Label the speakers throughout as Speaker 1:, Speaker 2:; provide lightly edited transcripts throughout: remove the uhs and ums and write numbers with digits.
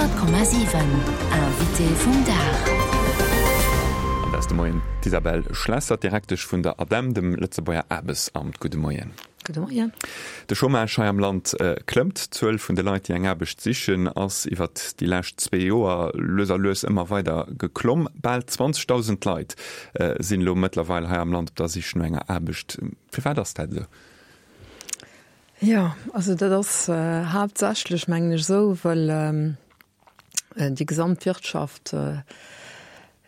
Speaker 1: 100,7 Invité vum Dag.
Speaker 2: An dat ass de Moien d'Isabelle Schlesser, d'Direktesch vun der ADEM, dem Lëtzebuerger Aarbechtsamt. Gudde Moien.
Speaker 3: Gudde Moien.
Speaker 2: De Chômage hei am Land klëmmt. D'Zuel vun de Leit, déi eng Aarbecht sichen, ass iwwert déi lescht zwee Joer lues a lues ëmmer weider geklomm. Bal 20.000 Leit sinn elo mëttlerweil hei am Land op der Sich no enger Aarbecht. Firwat ass dat esou?
Speaker 3: Jo, also dat ass haaptsächlech, mengen ech, esou, well déi gesamt Wirtschaft e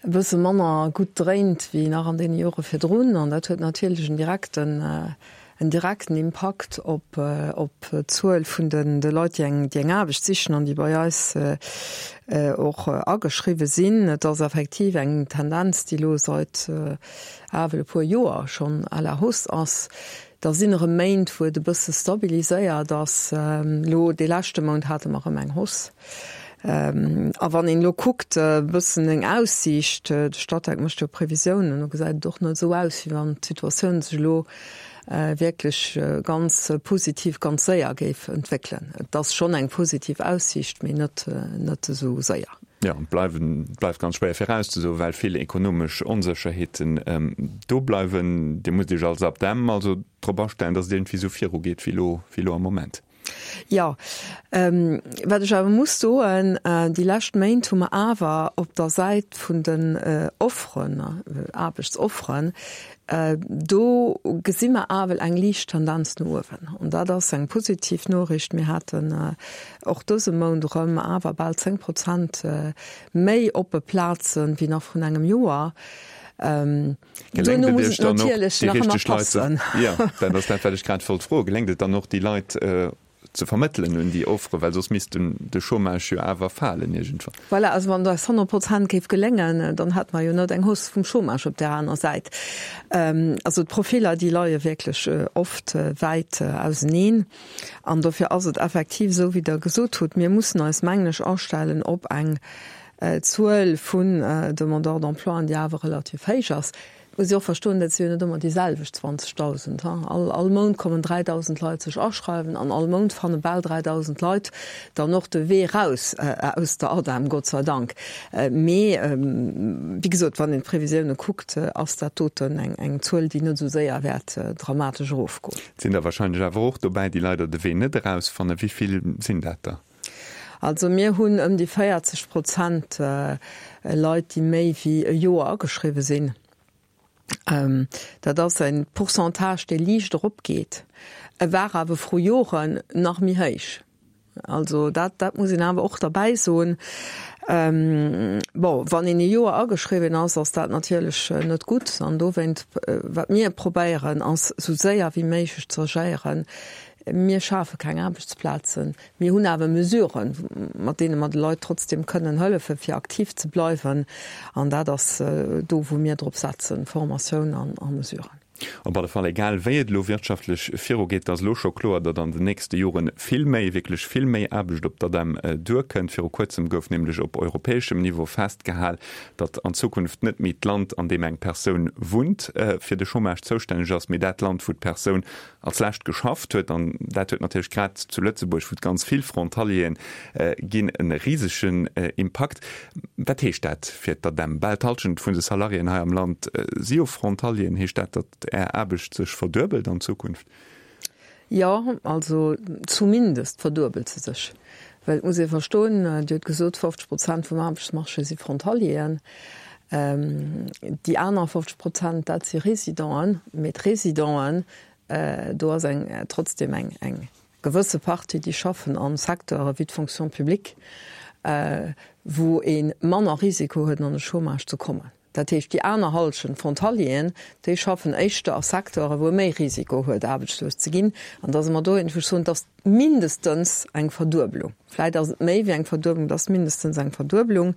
Speaker 3: bësse manner gutt dréint wéi nach an deene Jore virdrun. An dat huet natierlech en direkten, en direkten Impakt op, op d'Zuel vun den, de Leit, déi eng, déi eng Aarbecht sichen an déi bei eis och ageschriwwe sinn. Et ass effektiv eng Tendenz, déi elo seit ewell e puer Joer schonn à la hausse ass. Da sinn erëm Méint, wou et e bësse stabiliséiert ass. Elo dee leschte Mount hate mer erëm eng Hausse. A wann een elo kuckt, e bëssen eng Aussiicht, de Statec mécht jo Previsiounen, do gesäit et och net esou aus, wéi wann d'Situatioun sech elo wierklech ganz positiv ganz séier géif entwéckelen. Et ass schonn eng positiv Aussiicht, mee net net esou séier.
Speaker 2: Jo, et bleiwen, et bleift ganz schwéier virauszesoen, well vill ekonomesch Onsécherheeten do bleiwen. Dir musst Iech als ADEM also drop astellen, datt et iergendwéi esou virugeet wéi elo, wéi elo am Moment.
Speaker 3: Jo, wat ech awer muss soen, déi lescht Méint hu mer awer op der Säit vun den Offeren, Aarbechtsofferen, do gesi mer awer eng liicht Tendenz no uewen. An dat ass eng positiv Noriicht. Mir haten och dëse Mount erëm awer bal 10 Prozent méi oppe Plazen wéi nach vrun engem Joer.
Speaker 2: Geléngt
Speaker 3: Duerno
Speaker 2: et
Speaker 3: muss
Speaker 2: Iech
Speaker 3: et
Speaker 2: dann och,
Speaker 3: natierlech
Speaker 2: déi
Speaker 3: nach ëmmer
Speaker 2: richteg Leit ze.
Speaker 3: passen.
Speaker 2: Jo, dat ass dat, wat ech grad wollt froen. Geléngt et dann och, déi Leit ze vermëttelen un déi Offere, well soss misst de Chômage jo awer falen iergendwann.
Speaker 3: Voilà, also wann et eis 100 Prozent géif geléngen, dann hätte mer jo net eng Hausse vum Chômage op där aner Säit. Also d'Profiller, déi leie wierklech oft wäit auseneen. An dofir ass et effektiv esou, wéi Der gesot hutt, mir mussen eis, mengen ech, astellen op eng Zuel vun Demandeurs d'emploi, déi awer relativ héich ass. Et muss ee och verstoen, dat si jo net ëmmer déi selwecht 20.000. All, all Mount kommen 3.000 Leit sech aschreiwen an all Mount fanne bal 3.000 Leit dann och de Wee raus aus der ADEM, Gott sei Dank. Mee wéi gesot, wann een d'Previsioune kuckt, ass dat doten eng, eng Zuel, déi net esou séier wäert dramatesch erofgoen.
Speaker 2: Et sinn der wahrscheinlech awer och dobäi, déi leider de Wee net erausfannen. Wéi vill sinn dat der?
Speaker 3: Also mir hunn ëm déi 40 Prozent Leit, déi méi wéi e Joer ageschriwwe sinn. Dat ass e Pourcentage, dee liicht eropgeet. E war awer vru Joren nach méi héich. Also dat, dat muss een awer och derbäi soen. Bon, wann een e Joer ageschriwwen ass, ass dat natierlech net gutt. An dowéint, wat mir probéieren, ass esou séier wéi méiglech ze agéieren. Mir schafe keng Aarbechtsplazen. Mir hunn awer Mesuren, mat deene mer de Leit trotzdeem kënnen hëllefen, fir aktiv ze bleiwen. An dat ass do, wou mir drop setzen, Formatioun a Mesuren.
Speaker 2: Op alle Fall, egal wéi et elo wirtschaftlech virugeet, et ass elo scho kloer, datt an den nächste Jore vill méi, wierklech vill méi Aarbecht op d'ADEM duerkënnt. Viru kuerzem gouf nämlech op europäeschem Niveau festgehal, datt an Zukunft net méi d'Land, an deem eng Persoun wunnt, fir de Chômage zoustänneg ass, mee dat Land, wou d'Persoun als lescht geschafft huet, an dat huet natierlech grad zu Lëtzebuerg, wou et ganz vill Frontalieren ginn, e risegen Impakt. Wat heescht dat fir d'ADEM? Bal d'Hallschent vun de Salariéen hei am Land si jo Frontalieren. Heescht dat, datt Är Aarbecht sech verduebelt an Zukunft?
Speaker 3: Jo, also zumindest verduebelt se sech. Well et muss ee verstoen, Dir hutt gesot, 50 Prozent vum Aarbechtsmarché si Frontalieren. Déi aner 50 Prozent, dat si Residenten. Mee d'Residenten, do ass eng trotzdem eng eng gewësse Partie, déi schaffen a Secteure wéi d'Fonction publique, wou ee manner Risiko huet, an de Chômage ze kommen. Dat heescht, déi aner Hallschent, d'Frontalieren, déi schaffen éischter a Secteure wou e méi Risiko huet, aarbechtslos ze ginn. An da si mer dohin, wou ech soen, et ass mindestens eng Verduebelung. Vläit ass et méi wéi eng Verduebelung, et ass mindestens eng Verduebelung.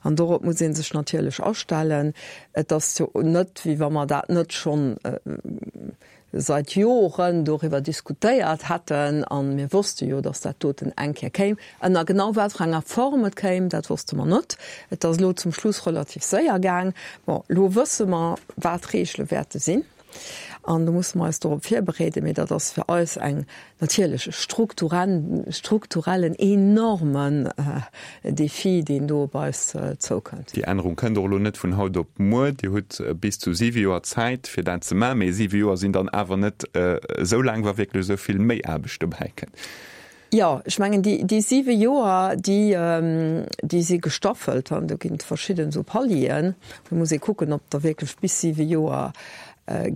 Speaker 3: An dorop muss ee sech natierlech astellen. Et ass jo net, wéi wa mer dat net schonn seit Joren doriwwer diskutéiert hätten a mir wosste jo, datt dat doten eng Kéier kéim. Ënner genau wat fir enger Form et kéim, dat wosste mer net. Et ass elo zum Schluss relativ séier gaang. Bon, elo wësse mer, wat d'Regele wäerte sinn. An do musse mer eis dorop virbereeden. Mee dat ass fir eis eng natierlech e strukturellen, enormen Defi, deen do op eis zoukënnt.
Speaker 2: Déi Ännerung kënnt och elo net vun haut op muer. Dir hutt bis zu siwe Joer Zäit, fir dat ze maachen. Mee siwe Joer sinn dann awer net esou laang, wa wierklech esou vill méi Aarbecht dobäi kënnt.
Speaker 3: Jo, ech mengen, déi siwe Joer, déi, déi si gestaffelt an do ginn et verschidden esou Palieren. Do muss ee kucken, ob et da wierklech bis siwe Joer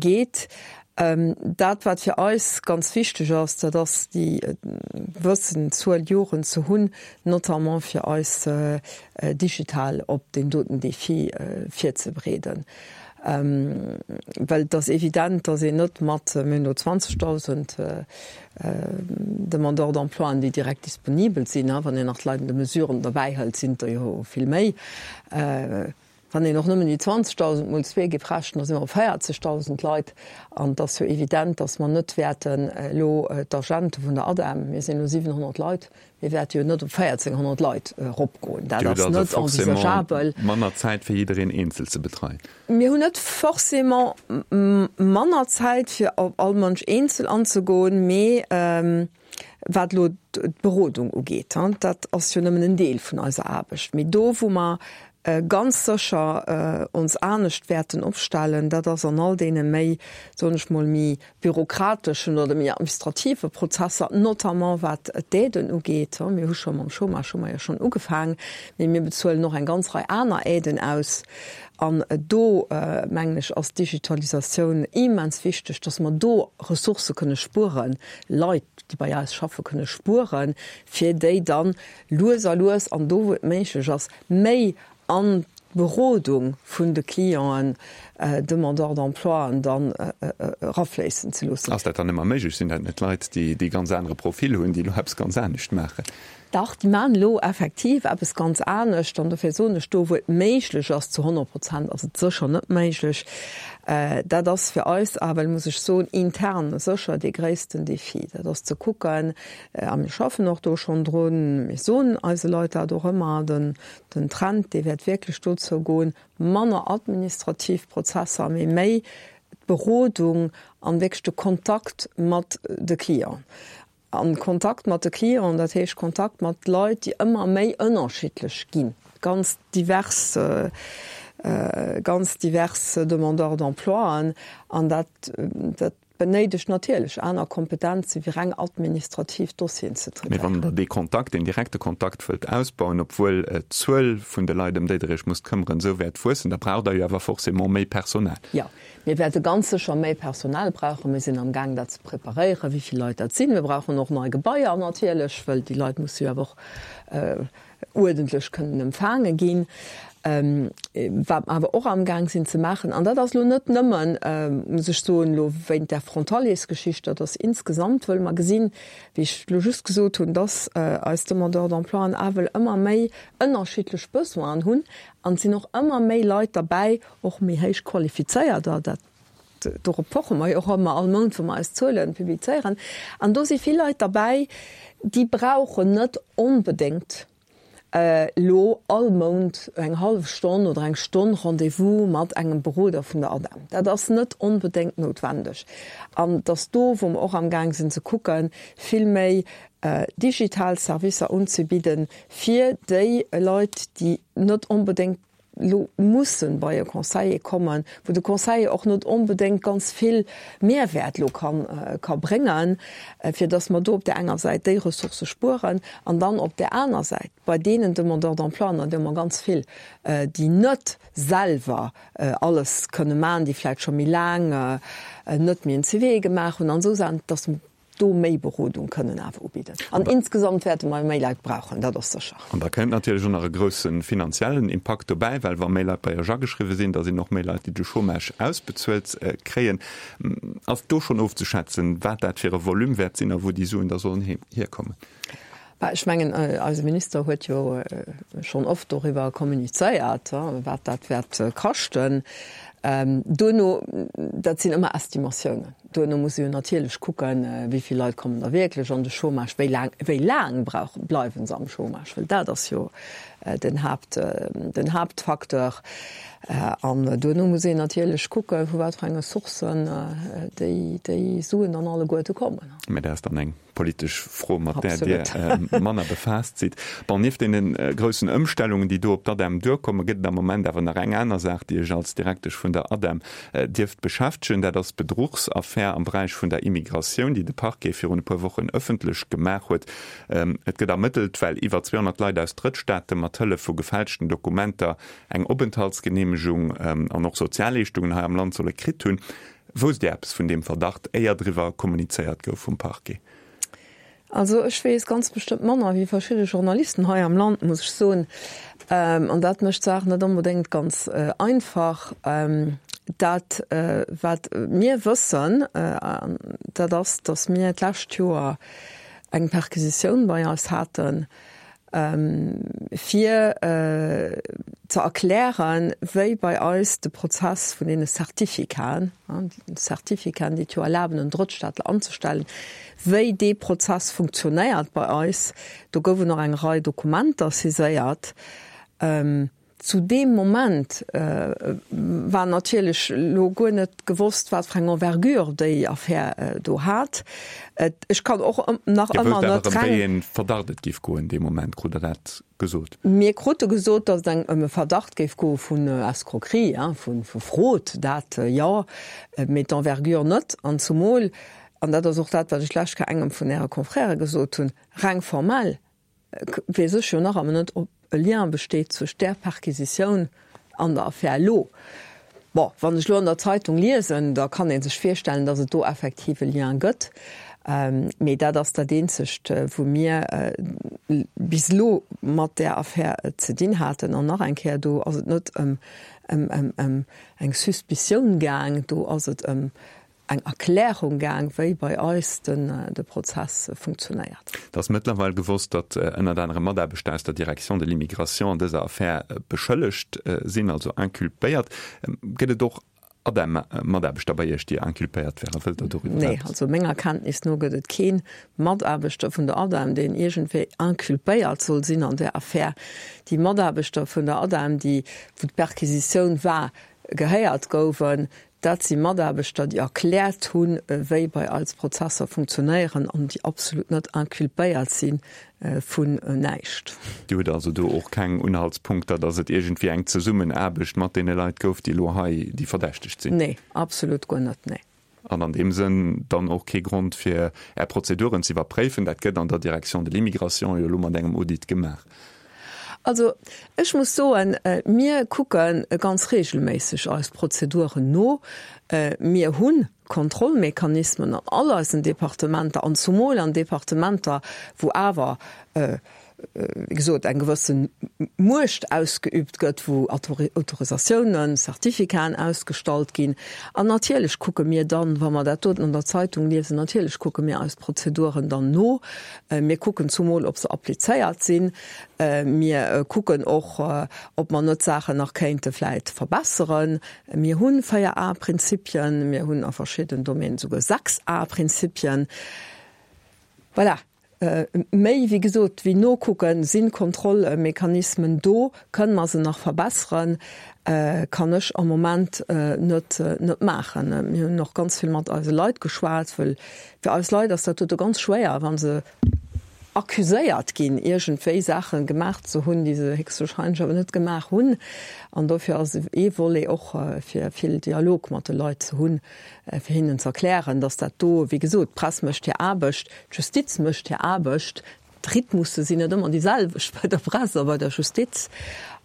Speaker 3: geet. Dat, wat fir eis ganz wichteg ass, dat ass déi gewëssen Zuel Joren ze hunn, notamment fir eis digital op deen doten Défi virzebereeden. Well et ass evident, datt een net mat, mir hunn elo 20.000 Demandeurs d'emploien, déi direkt disponibel sinn, wann een nach d'Leit an de Mesuren derbäihëlt, sinn et der jo vill méi, Wann een och nëmmen déi 20.000 mol zwee géif rechnen, da si mer op 40.000 Leit. An et ass jo evident, datt mer net wäerten elo d'Agente vun der ADEM, mir sinn elo 700 Leit, mir wäerte jo net op 1.400 Leit eropgoen.
Speaker 2: Dat ass net envisageabel. Manner Zäit fir jiddereen eenzel ze betreien.
Speaker 3: Mir hunn net forcément manner Zäit fir op all Mënsch eenzel anzegoen, mee wat elo d'Berodung ugeet, dat ass jo nëmmen en Deel vun eiser Aarbecht, mee do wou mer ganz sécher ons anescht wäerten opstellen, dat ass an all deene méi, soen ech mol, méi bürokrateschen oder méi administrative Prozesser, notamment wat d'Aiden ugeet. Mir hu scho mam Chômage hu mer jo schonn ugefaang, mee mir bezuelen och eng ganz Rei aner Aiden aus. An do, mengen ech, ass d'Digitalisatioun immens wichteg, dass mer do Ressourcë kënne spueren, Leit, déi bei eis schaffe kënne spueren, fir déi dann lues a lues an do, wou et méiglech ass, méi an d'Berodung vun de Clienten, Demandeurs d'emploien dann erafléissen ze loossen.
Speaker 2: Ass dat dann ëmmer méiglech? Sinn dat net Leit, déi e ganz anere Profil hunn, déi elo eppes ganz anescht maachen?
Speaker 3: Dach, déi maachen elo effektiv eppes ganz anescht. An dofir soen ech, do wou et méiglech ass, zu 100 Prozent ass et sécher net méiglech. Dat ass fir eis awer, muss ech soen, intern sécher dee gréissten Defi. Dat ass ze kucken, A mir schaffen och do schonn drun. Mir soen eise Leit dat och ëmmer, den, den Trend, dee wäert wierklech dozou goen, manner administrativ Prozesser, mee méi d'Berodung an wierklech de Kontakt mat de Clienten. An Kontakt mat de Clienten, dat heescht Kontakt mat Leit, déi ëmmer méi ënnerschiddlech ginn, ganz divers, ganz divers Demandeurs d'emploien. An dat, dat Benéidegt natierlech aner Kompetenze wéi reng administrativ Dossieren ze
Speaker 2: traitéieren. Mee wann Der dee Kontakt, deen direkte Kontakt wëllt ausbauen, obwuel d'Zuel vun de Leit, ëm déi Der Iech musst këmmeren, esou wäert wuessen, da braucht Der jo awer forcément méi Personal.
Speaker 3: Jo, mir wäerte ganz sécher méi Personal brauchen. Mir sinn amgaang, dat ze preparéieren, wéi vill Leit dat sinn. Mir brauchen och nei Gebaier natierlech, well déi Leit musse jo awer och uerdentlech kënnen empfaange ginn. Wat mer awer och amgaang sinn ze maachen, an dat ass elo net nëmmen, muss ech soen, elo wéint där Frontaliers-Geschicht, dat ass insgesamt, wëll mer gesinn, wéi ech elo just gesot hunn, dass eis Demandeurs d'emploien awel ëmmer méi ënnerschiddlech Besoinen hunn an et sinn och ëmmer méi Leit derbäi, och méi héich qualifizéierter, dat Dorop poche mer jo och ëmmer all Mount, wa mer eis Zuele publizéieren. An do si vill Leit derbäi, déi brauchen net onbedéngt elo all Mount eng hallef Stonn oder eng Stonn Rendez-vous mat engem Beroder vun der ADEM. Dat ass net onbedéngt noutwendeg. An et ass do, wou mer och amgaang sinn ze kucken, vill méi digital Servicer unzebidden, fir déi Leit, déi net onbedéngt elo mussen bei e Conseiller kommen, wou de Conseiller och net onbedéngt ganz vill Mehrwäert elo kann, ka bréngen, fir dass mer do op där enger Säit déi Ressourcë spueren an dann op där aner Säit bei deenen Demandeurs d'emploi, an der hu mer ganz vill, déi net selwer alles kënne maachen, déi vläicht scho méi laang net méi en CV gemaach hunn an esou Saachen, dass do méi Berodung kënnen awer ubidden. An insgesamt wäerte mer méi Leit brauchen, dat ass sécher.
Speaker 2: An da kënnt natierlech och nach e grousse finanziellen Impakt dobäi, well wa méi Leit bei Iech ageschriwwe sinn, da sinn och méi Leit, déi de Chômage ausbezuelt kréien. Ass do schonn ofzeschätzen, wat dat fir e Volume wäert sinn a wou déi Suen da sollen hierkommen?
Speaker 3: Bah, ech mengen, eise Minister huet jo schonn oft doriwwer kommunizéiert, wat dat wäert kaschten. Duerno, dat sinn ëmmer Estimatiounen, duerno muss ee jo natierlech kucken, wéi vill Leit kommen da wierklech an de Chômage, wéi laang, wéi laang brauch, bleiwe se am Chômage, well dat ass jo den Haapt, den Haaptfacteur. An duerno muss een natierlech kucken, vu wat fir enge Sourcen déi, déi Suen dann alleguerte kommen.
Speaker 2: Mä dat ass dann eng politesch Fro, mat där Dir manner befaasst sidd. Bon, nieft deene groussen Ëmstellungen, déi do op d'ADEM duerkommen, gëtt et am Moment awer nach eng aner Saach, déi Iech als Direktesch vun der ADEM dierft beschäftegen. Dat ass d'Bedruchsaffär am Beräich vun der Immigratioun, déi de Parquet virun e puer Wochen ëffentlech gemaach huet. Et gëtt ermëttelt, well iwwer 200 Leit aus Drëttstaate mat Hëllef vu gefälschten Dokumenter eng Openthaltsgeneemegung an och Sozialleeschtungen hei am Land solle kritt hunn. Wousst Dir eppes vun deem Verdacht, éier driwwer kommunizéiert gouf vum Parquet?
Speaker 3: Also ech weess ganz bestëmmt manner wéi verschidde Journalisten hei am Land, muss ech soen. An dat mécht d'Saach net onbedéngt ganz einfach. Dat wat mir wëssen, dat ass, datt mir d'lescht Joer eng Perquisitioun bei eis haten, fir ze erklären, wéi bei eis de Prozess vun deene Certificaten, Certificaten, déi et jo erlaben, en Drëttstaatler anzestellen, wéi dee Prozess funktionéiert bei eis. Do goufen och eng Rei Dokumenter saiséiert. Zu deem Moment war natierlech elo guer net gewosst, wat fir eng Envergure déi Affär do hat. Ech kann och nach
Speaker 2: Dir
Speaker 3: ëmmer
Speaker 2: wousst awer
Speaker 3: net
Speaker 2: ëm wéi
Speaker 3: reng.
Speaker 2: ee Verdacht et géif goen dee Moment, krut Der dat gesot?
Speaker 3: Mir krute gesot, datt et eng ëm e Verdacht géif goe vun Escroquerie, vu Fraude, dat jo, mee d'Envergure net. An zumol, an dat ass och dat, wat ech d'lescht Kéier engem vun Äre Confrèrë gesot hunn, reng formell weess ech jo nach ëmmer net, ob e Lien besteet zwëscht där Perquisitioun an der Affär elo. Bon, wann ech elo an der Zeitung liesen, da kann ee sech virstellen, datt et do effektiv e Lien gëtt. Mee dat ass dat eenzegt, wou mir bis elo mat där Affär ze dinn haten. An nach eng Kéier, do ass et net ëm eng Suspicioun gaang, do ass et ëm eng Erklärung gaang, wéi bei eis de Prozess funktionéiert.
Speaker 2: Et ass mëttlerweil gewosst, datt ënnert anerem Mataarbechter aus der Direction de l'immigration an dëser Affär beschëllegt sinn, also inculpéiert. Gëtt et och ADEM-Mataarbechter bei Iech, déi inculpéiert wären? Wëllt Der doriwwer
Speaker 3: Nee, eppes? also menger Kenntnis no gëtt et kee Mataarbechter vun der ADEM, deen iergendwéi inculpéiert soll sinn an där Affär. Déi Mataarbechter vun der ADEM, déi, wou d'Perquisitioun war, gehéiert gouwen, Dat si Mataarbechter, déi erkläert hunn, wéi bei eis Prozesser funktionéieren an déi absolut net inculpéiert si vun näischt.
Speaker 2: Dir hutt also do och keng Unhaltspunkter, datt et iergendwéi eng Zesummenaarbecht mat deene Leit gouf, déi elo hei déi Verdächtegt sinn?
Speaker 3: Nee, absolut guer net, nee.
Speaker 2: An an deem Sënn dann och kee Grond, fir Är Prozeduren ze iwwerpréifen. Dat gëtt an der Direction de l'immigration jo elo mat engem Audit gemaach.
Speaker 3: Also ech muss soen, mir kucke ganz regelméisseg eis Prozeduren no. Mir hu Kontrollmechanismen an all eisen Departementer an zumol an Departementer, wou awer, wéi gesot, eng gewësse Muecht ausgeübt gëtt, wou Autorisatiounen, Certificaten ausgestallt ginn. An natierlech kucke mir dann, wa mer dat doten an der Zeitung liesen, natierlech kucke mir eis Prozeduren dann no. Mir kucken zumol, ob se applizéiert sinn. Mir kucken och, ob mer net Saachen nach kéinte vläit verbesseren. Mir hu 4 A-Prinzipien, mir hunn a verschidden Domänen esouguer 6 A-Prinzipien. Voilà. Méi, wéi gesot, wéi nokucken, sinn d'Kontrollmechanismen do. Kënne mer se nach verbesseren? Kann ech am Moment net maachen. Mir hunn och ganz vill mat eise Leit geschwat, well Fir eis Leit ass dat dote ganz schwéier, wa se accuséiert ginn, iergendwéi Saache gemaach ze hunn, déi se héchstwahrscheinlech awer net gemaach hunn. An dofir ass ee Volet och, fir vill Dialog mat de Leit ze hunn, fir hinnen ze erklären, dass dat do, wéi gesot, d'Press mécht hir Aarbecht, d'Justiz mécht hir Aarbecht, D'Rhythmusse sinn net ëmmer déi selwecht bei der Press a bei der Justiz.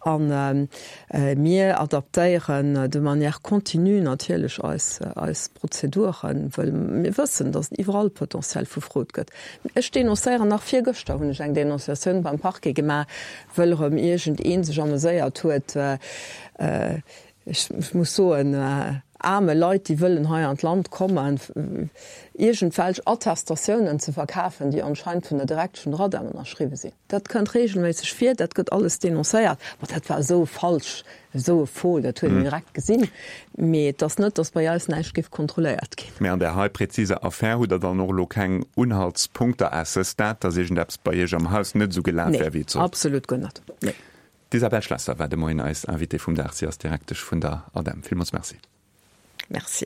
Speaker 3: A mir adaptéieren de manière continue natierlech eis, eis Prozeduren, wëll mir wëssen, datt et iwwerall Potentiel vu Fraude gëtt. Ech denoncéieren, nach virgëschter hunn ech eng Denonciatioun beim Parquet gemaach, wëll erëm iergendee sech ameséiert huet, Ech muss soen. Aarme Leit, déi wëllen hei an d'Land kommen, iergendwelch Attestatiounen ze verkafen, déi anscheinend vun der Direktesch vun der ADEM ënnerschriwwe sinn. Dat kënnt regelméisseg vir, dat gëtt alles denoncéiert. Ma dat war esou falsch, esou e Faux, dat huet een direkt gesinn. Mee et ass net, datt bei eis näischt géif kontrolléiert ginn.
Speaker 2: Mee an där hei präziser Affär hutt Der dann och elo keng Unhaltspunkter à ce stade, datt iergendeppes bei Iech am Haus net esou gelaf wär, wéi et
Speaker 3: sollt? Nee, absolut guer net. Nee.
Speaker 2: D'Isabelle Schlesser war de Moien eis Invitée vum Dag. Si ass Direktesch vun der ADEM. Villmools Merci.
Speaker 3: Merci.